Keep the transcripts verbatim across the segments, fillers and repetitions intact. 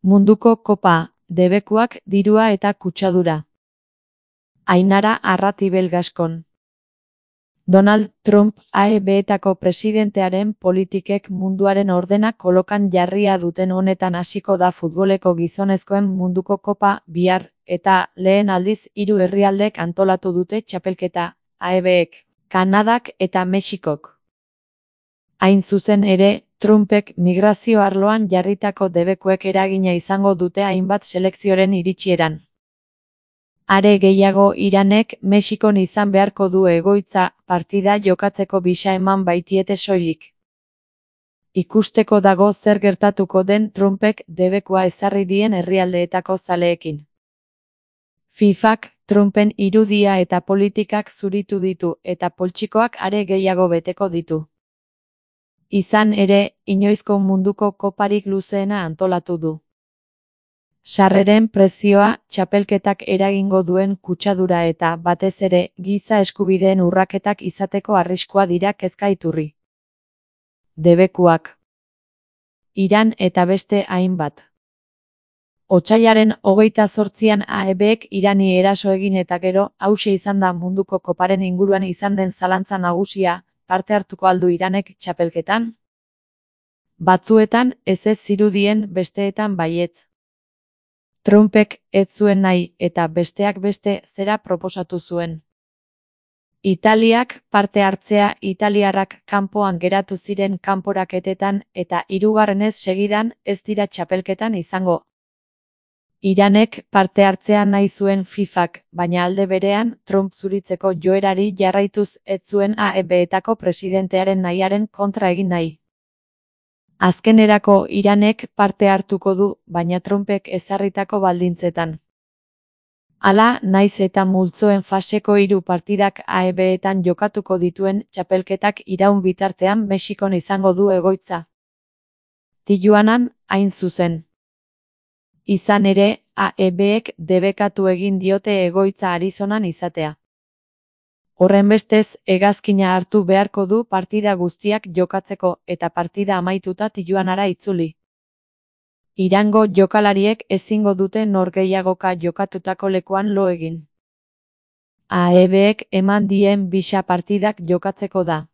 Munduko kopa, debekuak, dirua eta kutsadura. Ainara Arratibel Gaskon. Donald Trump A E B-etako presidentearen politikek munduaren ordena kolokan jarria duten honetan hasiko da futboleko gizonezkoen munduko kopa bihar, eta lehen aldiz hiru herrialdek antolatu dute txapelketa, A E B-ek, Kanadak eta Mexikok. Hain zuzen ere, Trumpek migrazio arloan jarritako debekuek eragina izango dute hainbat selekzioren iritsieran. Are gehiago Iranek Mexikon izan beharko du egoitza partida jokatzeko bisa eman baitiete soilik. Ikusteko dago zer gertatuko den Trumpek debekua ezarri dien herrialdeetako zaleekin. FIFAk Trumpen irudia eta politikak zuritu ditu eta poltsikoak are gehiago beteko ditu. Izan ere, inoizko munduko koparik luzeena antolatu du. Sarreren prezioa, txapelketak eragingo duen kutsadura eta, batez ere, giza eskubideen urraketak izateko arriskua dira kezka iturri. Debekuak. Iran eta beste hainbat. Otsailaren hogeita zortzian A E B-ek Irani eraso egin eta gero, hauxe izan da munduko koparen inguruan izan den zalantza nagusia, parte hartuko aldu Iranek txapelketan? Batzuetan ez ez zirudien, besteetan baietz. Trumpek ez zuen nahi eta besteak beste zera proposatu zuen. Italiak parte hartzea italiarrak kanpoan geratu ziren kanporaketetan eta hirugarrenez segidan ez dira txapelketan izango. Iranek parte hartzea nahi zuen FIFAk, baina alde berean Trump zuritzeko joerari jarraituz ez zuen A E B-etako presidentearen nahiaren kontra egin nahi. Azkenerako Iranek parte hartuko du, baina Trumpek ezarritako baldintzetan. Hala, naiz eta multzoen faseko hiru partidak A E B-etan jokatuko dituen txapelketak iraun bitartean Mexikon izango du egoitza. Tijuanan, hain zuzen. Izan ere, A E B-ek debekatu egin diote egoitza Arizonan izatea. Horrenbestez, hegazkina hartu beharko du partida guztiak jokatzeko eta partida amaituta Tijuanara itzuli. Irango jokalariek ezingo dute norgehiagoka jokatutako lekuan lo egin. A E B-ek eman dien bisa partidak jokatzeko da.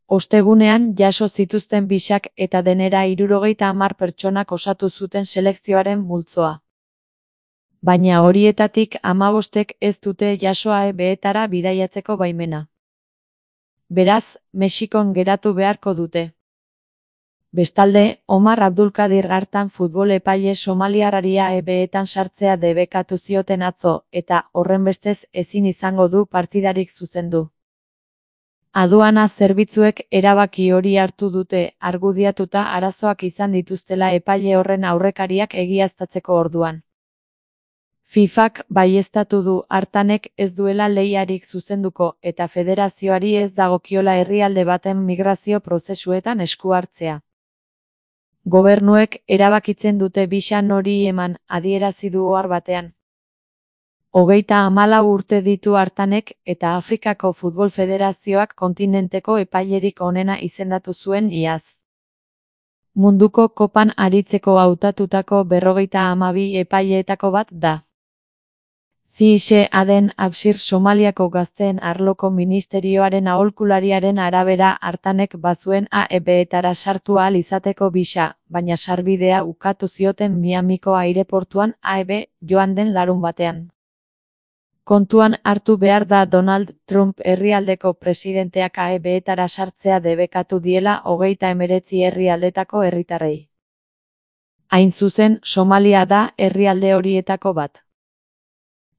Ostegunean jaso zituzten bisak eta denera hirurogeita hamar pertsonak osatu zuten selekzioaren multzoa. Baina horietatik hamabostek ez dute jaso A E B-etara bidaiatzeko baimena. Beraz, Mexikon geratu beharko dute. Bestalde, Omar Abdulkadir hartan futbol epaile somaliarrari A E B-etan sartzea debekatu zioten atzo, eta horrenbestez ezin izango du partidarik zuzendu. Aduana zerbitzuek erabaki hori hartu dute, argudiatuta arazoak izan dituztela epaile horren aurrekariak egiaztatzeko orduan. FIFAk baieztatu du hartanek ez duela lehiarik zuzenduko eta federazioari ez dagokiola herrialde baten migrazio prozesuetan esku hartzea. Gobernuek erabakitzen dute bisa nori eman, adierazi du ohar batean. Hogeita hamalau urte ditu hartanek eta Afrikako Futbol Federazioak kontinenteko epailerik onena izendatu zuen iaz. Munduko kopan aritzeko hautatutako berrogeita hamabi epaileetako bat da. Zixe Aden Absir Somaliako gazteen arloko ministerioaren aholkulariaren arabera hartanek bazuen A E B-etara sartu ahal izateko bisa, baina sarbidea ukatu zioten Miamiko aireportuan A E B joan den larun batean. Kontuan hartu behar da Donald Trump herrialdeko presidenteak A E B-etara sartzea debekatu diela hogeita hemeretzi herrialdetako herritarrei. Hain zuzen, Somalia da herrialde horietako bat.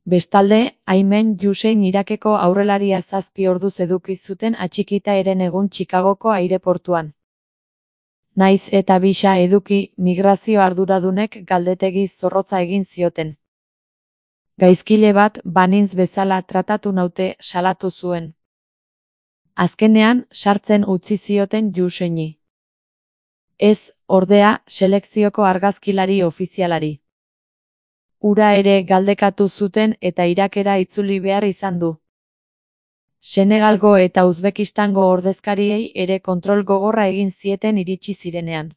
Bestalde, Aymen Hussein Irakeko aurrelaria zazpi orduz eduki zuten atxikita eren egun Chicagoko aireportuan. Naiz eta bisa eduki, migrazio arduradunek galdetegi zorrotza egin zioten. Gaizkile bat banintz bezala tratatu naute salatu zuen. Azkenean, sartzen utzi zioten Husseini. Ez, ordea, selekzioko argazkilari ofizialari. Ura ere galdekatu zuten eta Irakera itzuli behar izan du. Senegalgo eta Uzbekistango ordezkariei ere kontrol gogorra egin zieten iritsi zirenean.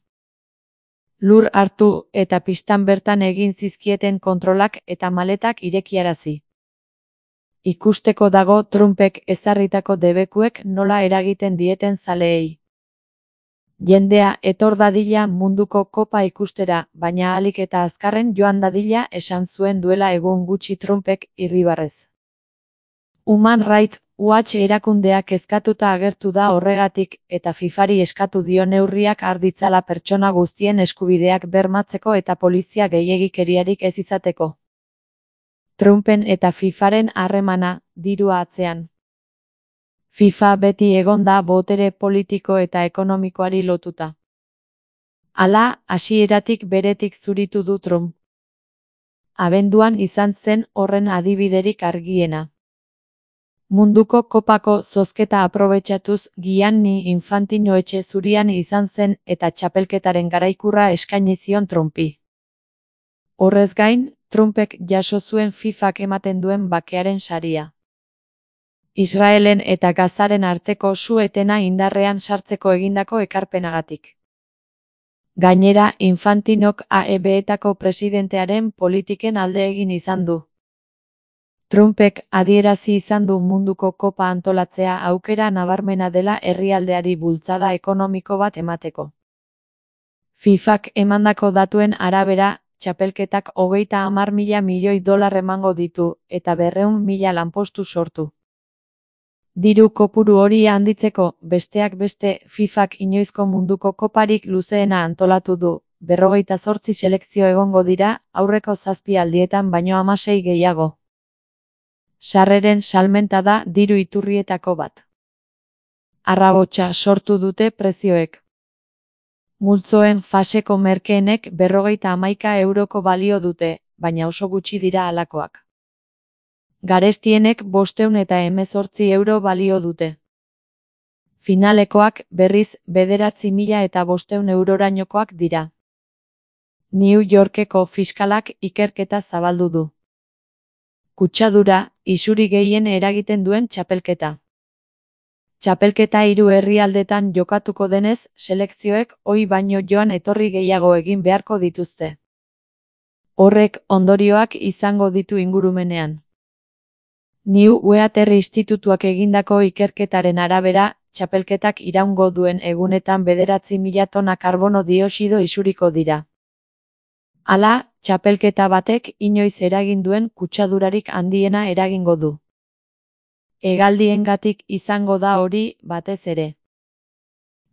Lur hartu eta pistan bertan egin zizkieten kontrolak eta maletak irekiarazi. Ikusteko dago Trumpek ezarritako debekuek nola eragiten dieten zaleei. Jendea etor dadila munduko kopa ikustera, baina ahalik eta azkarren joan dadila esan zuen duela egun gutxi Trumpek irribarrez. Human Rights Watch erakundeak kezkatuta agertu da horregatik eta FIFAri eskatu dio neurriak har ditzala pertsona guztien eskubideak bermatzeko eta polizia gehiegikeriarik ez izateko. Trumpen eta FIFAren harremana, dirua atzean. FIFA beti egon da botere politiko eta ekonomikoari lotuta. Hala, hasieratik beretik zuritu du Trump. Abenduan izan zen horren adibiderik argiena. Munduko kopako zozketa aprobetxatuz Gianni Infantino etxe zurian izan zen eta txapelketaren garaikurra eskaini zion Trumpi. Horrez gain, Trumpek jaso zuen FIFak ematen duen bakearen saria. Israelen eta Gazaren arteko su-etena indarrean sartzeko egindako ekarpenagatik. Gainera, Infantinok A E B-etako presidentearen politiken alde egin izan du. Trumpek adierazi izan du munduko kopa antolatzea aukera nabarmena dela herrialdeari bultzada ekonomiko bat emateko. FIFak emandako datuen arabera, txapelketak hogeita hamar mila milioi dolar emango ditu eta berrehun mila lanpostu sortu. Diru kopuru hori handitzeko, besteak beste, FIFak inoizko munduko koparik luzeena antolatu du, berrogeita zortzi selekzio egongo dira, aurreko zazpi aldietan baino hamasei gehiago. Sarreren salmenta da diru iturrietako bat. Arrabotsa sortu dute prezioek. Multzoen faseko merkeenek berrogeita hamaika euroko balio dute, baina oso gutxi dira halakoak. Garestienek bostehun eta hemezortzi euro balio dute. Finalekoak, berriz, bederatzi mila eta bostehun eurorainokoak dira. New Yorkeko fiskalak ikerketa zabaldu du. Kutsadura, isuri gehien eragiten duen txapelketa. Txapelketa hiru herrialdetan jokatuko denez, selekzioek ohi baino joan etorri gehiago egin beharko dituzte. Horrek ondorioak izango ditu ingurumenean. New Weather Institutuak egindako ikerketaren arabera, txapelketak iraungo duen egunetan bederatzi mila tona karbono dioxido isuriko dira. Hala, txapelketa batek inoiz eragin duen kutsadurarik handiena eragingo du. Hegaldiengatik izango da hori, batez ere.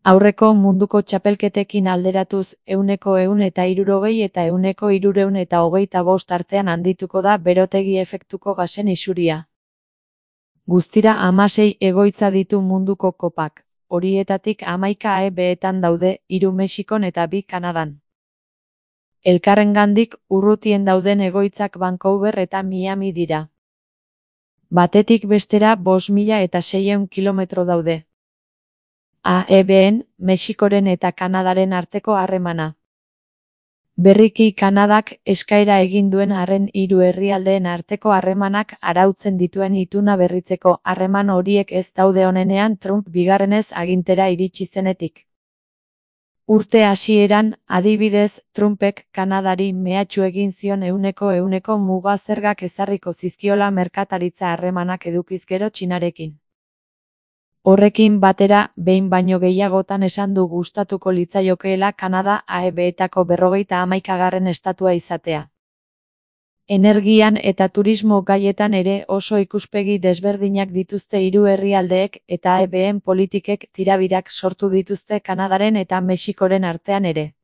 Aurreko munduko txapelketekin alderatuz, ehuneko ehun eta hirurogei eta ehuneko hirurehun eta hogeita bost artean handituko da berotegi efektuko gasen isuria. Guztira hamasei egoitza ditu munduko kopak, horietatik hamaika A E B-etan daude, hiru Mexikon eta bi Kanadan. Elkarrengandik urrutien dauden egoitzak Vancouver eta Miami dira. Batetik bestera bost mila eta seiehun kilometro daude. A E B-en, Mexikoren eta Kanadaren arteko harremana. Berriki Kanadak eskaera egin duen arren hiru herrialdeen arteko harremanak arautzen dituen ituna berritzeko harreman horiek ez daude onenean Trump bigarrenez agintera iritsi zenetik. Urte hasieran, adibidez, Trumpek Kanadari mehatxu egin zion ehuneko ehuneko muga zergak ezarriko zizkiola merkataritza harremanak edukiz gero Txinarekin. Horrekin batera, behin baino gehiagotan esan du gustatuko litzaiokeela Kanada A E B-etako berrogeita hamaikagarren estatua izatea. Energian eta turismo gaietan ere oso ikuspegi desberdinak dituzte hiru herrialdeek eta A E B-en politikek tirabirak sortu dituzte Kanadaren eta Mexikoren artean ere.